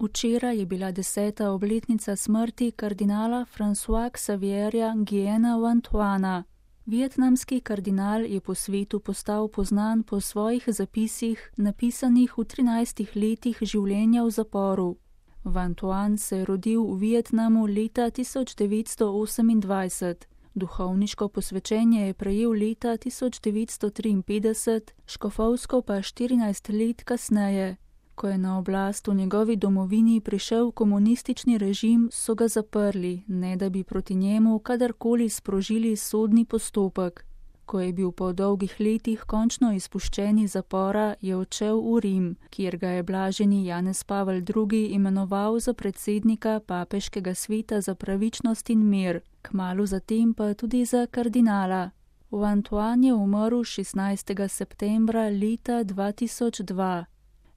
Včeraj je bila 10. obletnica smrti kardinala Françoisa Xavierja Nguyena Vantuana. Vietnamski kardinal je po svetu postal poznan po svojih zapisih, napisanih v 13 letih življenja v zaporu. Vantuan se je rodil v Vietnamu leta 1928. Duhovniško posvečenje je prejel leta 1953, škofovsko pa 14 let kasneje. Ko je na oblast v njegovi domovini prišel komunistični režim, so ga zaprli, ne da bi proti njemu kadarkoli sprožili sodni postopek. Ko je bil po dolgih letih končno izpuščen iz zapora, je odšel v Rim, kjer ga je blaženi Janez Pavel II. Imenoval za predsednika Papeškega sveta za pravičnost in mir, kmalu zatem pa tudi za kardinala. Vantuan je umrl 16. septembra leta 2002.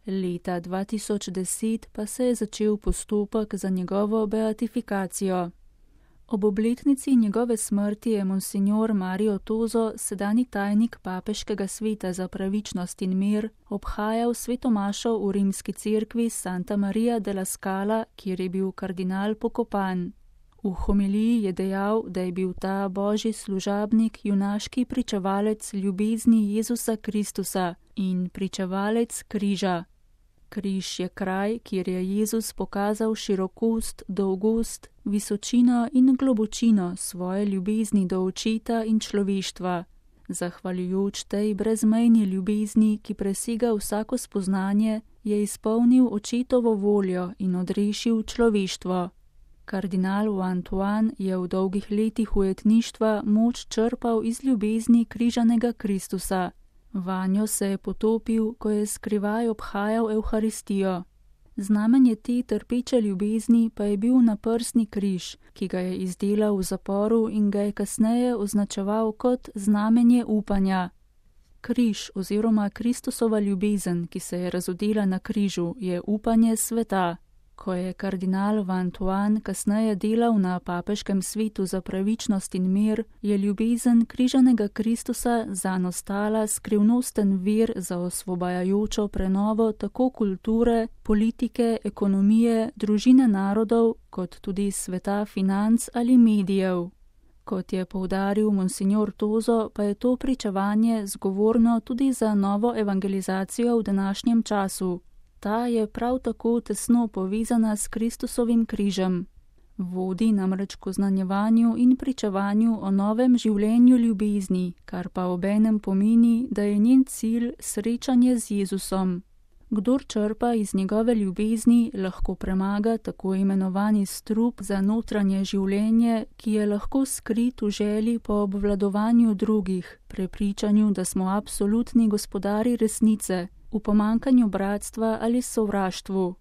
Leta 2010 pa se je začel postopek za njegovo beatifikacijo. Ob obletnici njegove smrti je monsignor Mario Tozo, sedanji tajnik Papeškega sveta za pravičnost in mir, obhajal svetomašo v rimski cerkvi Santa Maria della Scala, kjer je bil kardinal pokopan. V homiliji je dejal, da je bil ta božji služabnik junaški pričevalec ljubezni Jezusa Kristusa in pričevalec križa. Križ je kraj, kjer je Jezus pokazal širokost, dolgost, visočino in globočino svoje ljubezni do očeta in človeštva. Zahvaljujoč tej brezmejni ljubezni, ki presega vsako spoznanje, je izpolnil očetovo voljo in odrešil človeštvo. Kardinal Vantuan je v dolgih letih ujetništva moč črpal iz ljubezni križanega Kristusa. Vanjo se je potopil, ko je skrivaj obhajal Evharistijo. Znamenje te trpeče ljubezni pa je bil naprsni križ, ki ga je izdelal v zaporu in ga je kasneje označeval kot znamenje upanja. Križ oziroma Kristusova ljubezen, ki se je razodela na križu, je upanje sveta. Ko je kardinal Vantuan kasneje delal na Papeškem svetu za pravičnost in mir, je ljubezen križanega Kristusa zanj ostala skrivnosten vir za osvobajajočo prenovo tako kulture, politike, ekonomije, družine narodov, kot tudi sveta financ ali medijev. Kot je poudaril monsignor Tozo, pa je to pričevanje zgovorno tudi za novo evangelizacijo v današnjem času. Ta je prav tako tesno povezana s Kristusovim križem. Vodi namreč k oznanjevanju in pričevanju o novem življenju ljubezni, kar pa obenem pomeni, da je njen cilj srečanje z Jezusom. Kdor črpa iz njegove ljubezni, lahko premaga tako imenovani strup za notranje življenje, ki je lahko skrit v želji po obvladovanju drugih, prepričanju, da smo absolutni gospodari resnice, v pomankanju bratstva ali sovraštvu.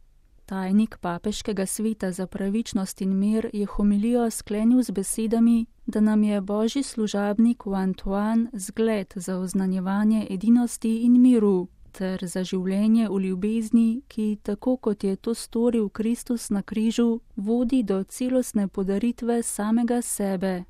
Tajnik Papeškega sveta za pravičnost in mir je homilijo sklenil z besedami, da nam je božji služabnik Vantuan zgled za oznanjevanje edinosti in miru, ter za življenje v ljubezni, ki, tako kot je to storil Kristus na križu, vodi do celostne podaritve samega sebe.